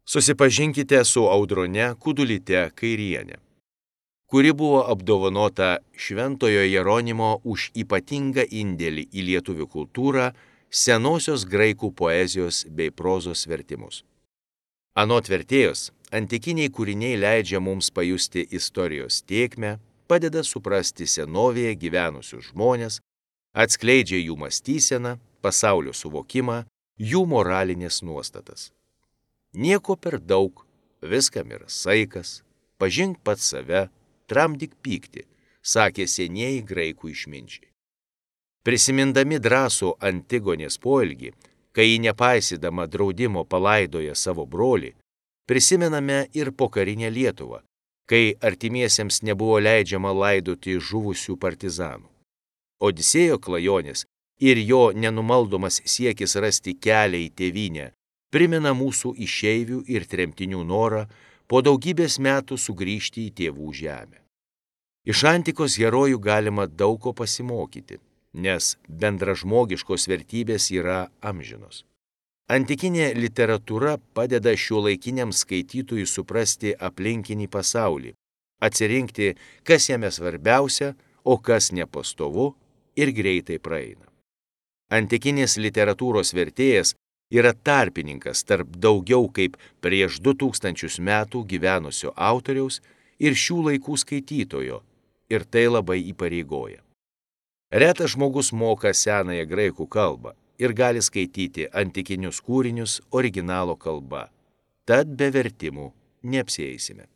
Susipažinkite su Audrone Kudulyte Kairiene, kuri buvo apdovanota Šventojo Jeronimo už ypatingą indėlį į lietuvių kultūrą, senosios graikų poezijos bei prozos vertimus. Anot vertėjos, antikiniai kūriniai leidžia mums pajusti istorijos tėkmę, padeda suprasti senovėje gyvenusius žmones, atskleidžia jų mąstyseną, pasaulio suvokimą, jų moralinės nuostatas. Nieko per daug, viskam yra saikas, pažink pats save, tramdyk pyktį, sakė senieji graikų išminčiai. Prisimindami drąsų Antigonės poelgį, kai ji nepaisydama draudimo palaidoja savo brolį, prisimename ir pokarinę Lietuvą, kai artimiesiems nebuvo leidžiama laidoti žuvusių partizanų. Odisėjo klajonės ir jo nenumaldomas siekis rasti kelią į tėvynę primena mūsų išeivių ir tremtinių norą po daugybės metų sugrįžti į tėvų žemę. Iš antikos herojų galima daug ko pasimokyti, nes bendražmogiškos vertybės yra amžinos. Antikinė literatūra padeda šiuolaikiniam skaitytojui suprasti aplinkinį pasaulį, atsirinkti, kas jame svarbiausia, o kas nepastovu ir greitai praeina. Antikinės literatūros vertėjas yra tarpininkas tarp daugiau kaip prieš 2000 metų gyvenusio autoriaus ir šių laikų skaitytojo, ir tai labai įpareigoja. Retas žmogus moka senąją graikų kalbą ir gali skaityti antikinius kūrinius originalo kalba, tad be vertimų neapsieisime.